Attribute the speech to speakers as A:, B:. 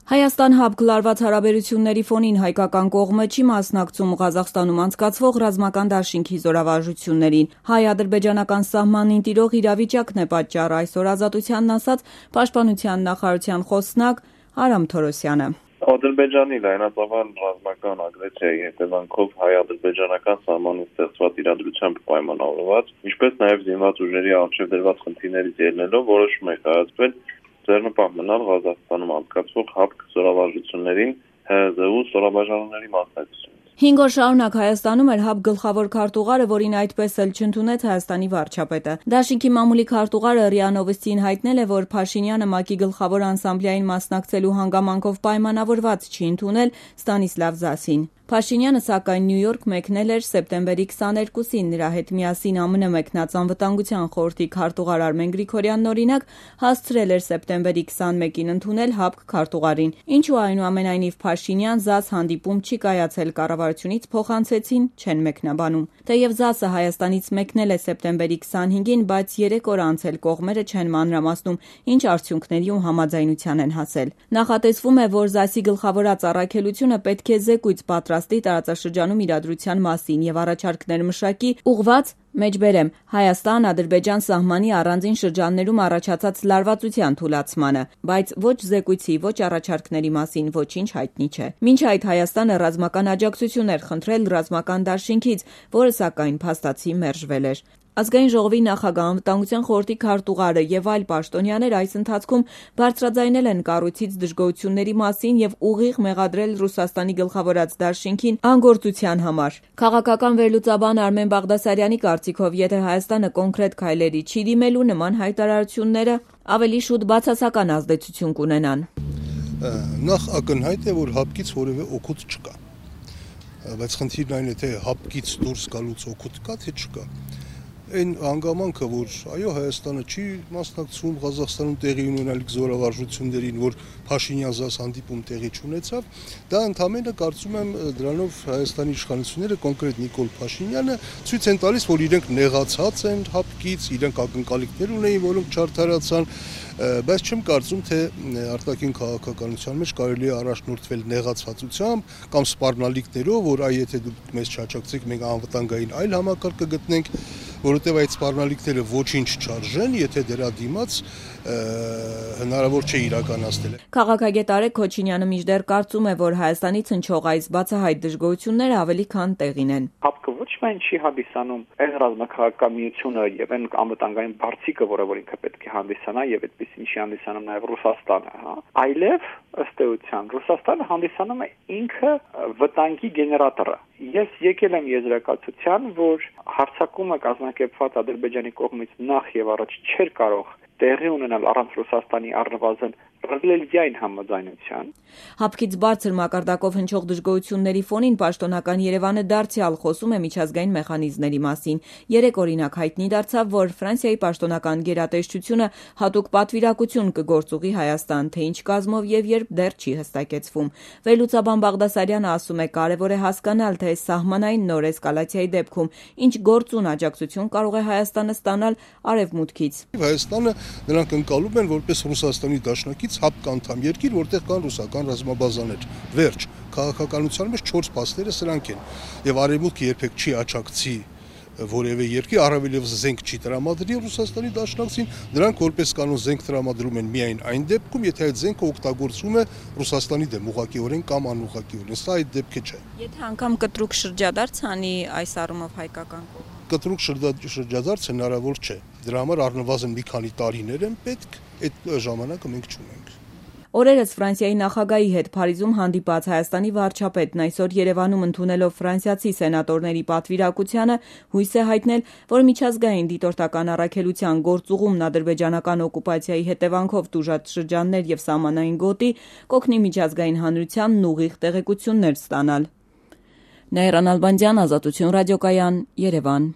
A: Հայաստան ՀԱԲ լարված հարաբերությունների ֆոնին հայկական կողմը չի մասնակցում Ղազախստանում անցկացվող ռազմական դաշինքի զորավարժություններին։ Հայ-ադրբեջանական սահմանին տիրող իրավիճակն է պատճառը, այսօր Ազատությանն ասաց Պաշտպանության նախարարության խոսնակ Արամ Թորոսյանը։
B: Ադրբեջանի լայնածավալ ռազմական ագրեսիայի հետևանքով հայ-ադրբեջանական սահմանին ստեղծված իրադրությամբ պայմանավորված, ինչպես նաև զինված ուժերի առջև դրված խնդիրներից ելնելով որոշում է կայացվել ձեռնպահ մնալ Ղազախստանում անցկացվող ՀԱԲ զորավարժություններին ՀԶՈՒ ստորաբաժանումների մասնակցությունից։
A: 5 օր շարունակ Հայաստանում էր ՀԱԲ գլխավոր քարտուղարը, որին այդպես էլ չընդունեց Հայաստանի վարչապետը։ Դաշինքի մամուլի քարտուղարը ՌԻԱ Նովոստիին հայտնել է, որ Փաշինյանը ՄԱԿ-ի գլխավոր անսամբլեային մասնակցելու հանգամանքով պայմանավորված չի ընդունել Ստանիսլավ Զասին։ Փաշինյանը, սակայն, Նյու Յորք մեկնել էր սեպտեմբերի 22-ին, նրա հետ միասին ԱՄՆ մեկնած Անվտանգության խորհրդի քարտուղար Արմեն Գրիգորյանն օրինակ հասցրել էր սեպտեմբերի 21-ին ընդունել ՀԱԲ քարտուղարին, ինչու այնուամենայնիվ Փաշինյան ԶԱՍ հանդիպում չի կայացել կառավարությունից փոխանցեցին, չեն մեկնաբանում։ Թեև ԶԱՍ-ը Հայաստանից մեկնել է սեպտեմբերի 25-ին, բայց 3 օր անց էլ կողմերը չեն մանրամասնում, ինչ արդյունքների ու համաձայնության են հասել։ Նախատեսվում է, որ ԶԱՍ-ի գլխավորած առաքելությունը պետք է զեկույց պատրաստի տարածաշրջանում իրադրության մասին եւ առաջարկներ մշակի ուղղված մեջբերեմ Հայաստան-Ադրբեջան սահմանի առանձին շրջաններում առաջացած լարվածության թուլացմանը, բայց ոչ զեկույցի, ոչ առաջարկների մասին ոչինչ հայտնի չէ։ Մինչ այդ Հայաստանը ռազմական աջակցություն էր խնդրել ռազմական դաշինքից, որը սակայն փաստացի մերժվել էր։ Ազգային ժողովի նախագահ, Անվտանգության խորհրդի քարտուղարը եւ այլ պաշտոնյաներ այս ընթացքում բարձրաձայնել են կառույցից դժգոհությունների մասին եւ ուղիղ մեղադրել Ռուսաստանի գլխավորած դաշինքին անգործության համար։ Քաղաքական վերլուծաբան Արմեն Բաղդասարյանի կարծիքով, եթե Հայաստանը կոնկրետ քայլերի չի դիմելու, նման հայտարարությունները ավելի շուտ բացասական ազդեցություն կունենան։
C: Նախ ակնհայտ է, որ ՀԱԲ-ից որևէ օգուտ չկա, բայց խնդիրն այն է, թե ՀԱԲ-ից դուրս գալուց օգուտ կա, թե չկա։ Այն հանգամանքը, որ այո Հայաստանը չի մասնակցում Ղազախստանում տեղի ունենալիք զորավարժություններին, որ Փաշինյան-ԶԱՍ հանդիպում տեղի չունեցավ, դա ընդամենը կարծում եմ դրանով Հայաստանի իշխանությունները, կոնկրետ Նիկոլ Փաշինյանը ցույց են տալիս, որ իրենք նեղացած են ՀԱԲ-ից, իրենք ակնկալիքներ ունեին, որոնք չարդարացան, բայց չեմ կարծում, թե արտաքին քաղաքականության մեջ կարելի է առաջնորդվել նեղացվածությամբ կամ սպառնալիքներով, որ այ եթե դուք մեզ չաջակցեք, մենք անվտանգային այլ համակարգ կգտնենք, որովհետև այդ սպառնալիքները ոչինչ չարժեն, եթե դրա դիմաց հնարավոր չէ իրականացնել։
A: Քաղաքագետ Արեգ Քոչինյանը մինչդեռ կարծում է, որ Հայաստանից հնչող այս բացահայտ դժգոհությունները ավելի քան տեղին են։
D: ՀԱԲ-ը ոչ միայն չի հանդիսանում այն ռազմաքաղաքական միությունը եւ այն անվտանգային բարձիկը, որը ինքը պետք է հանդիսանա եւ այդպեսին չի հանդիսանում նաեւ Ռուսաստանը, այլև ըստ էության Ռուսաստանը հանդիսանում է ինքը վտանգի գեներատորը։ Ես եկել եմ եզրակացության, որ հարձակումը կազմակերպված Ադրբեջանի կողմից նախ եւ առաջ չէր կարող տեղի ունենալ առանց Ռուսաստանի առնվազն ռեալիային համաձայնության։
A: ՀԱԲ-ից բարձր մակարդակով հնչող դժգոհությունների ֆոնին պաշտոնական Երևանը դարձյալ խոսում է միջազգային մեխանիզմների մասին։ Երեք օրինակ հայտնի դարձավ, որ Ֆրանսիայի պաշտոնական գերատեսչությունը հատուկ պատվիրակություն կգործուղի Հայաստան, թե ինչ կազմով եւ երբ դեռ չի հստակեցվում։ Վերլուծաբան Բաղդասարյանը ասում է, կարևոր է հասկանալ, թե սահմանային նոր էսկալացիայի դեպքում ինչ գործուն աջակցություն կարող է Հայաստանը ստանալ արևմուտքից։
C: Հայաստանը նրանք ընկալում են որպես Ռուսաստանի դաշնակից ՀԱԲ անդամ երկիր, որտեղ կան ռուսական ռազմաբազաներ։ Վերջ, քաղաքականության մեջ 4 փաստերը սրանք են։ Եվ արևմուտքը երբեք չի աջակցի որևէ երկիր, առավելևս զենք չի տրամադրի Ռուսաստանի դաշնակցին, նրանք որպես կանոն զենք տրամադրում են միայն այն դեպքում, եթե այդ զենքը օգտագործվում է Ռուսաստանի դեմ ուղղակիորեն կամ անուղղակիորեն։ Սա այդ դեպքը չէ։
A: Եթե անգամ կտրուկ շրջադարձ անի այս առումով հայկական կողմը։
C: Կտրուկ շրջադարձ հնարավոր չէ։ Դրա համար առնվազն մի քանի տարիներ են պետք, այդ ժամանակը մենք չունենք։
A: Օրերս Ֆրանսիայի նախագահի հետ Փարիզում հանդիպած Հայաստանի վարչապետն այսօր Երևանում ընդունելով ֆրանսիացի սենատորների պատվիրակությանը հույս է հայտնել, որ միջազգային դիտորդական առաքելության գործուղումն ադրբեջանական օկուպացիայի հետևանքով տուժած շրջաններ եւ սահմանային գոտի կօգնի միջազգային հանրությանն ուղիղ տեղեկություններ ստանալ։ Նայիրան Ալբանդյան, Ազատություն ռադիոկայան, Երևան։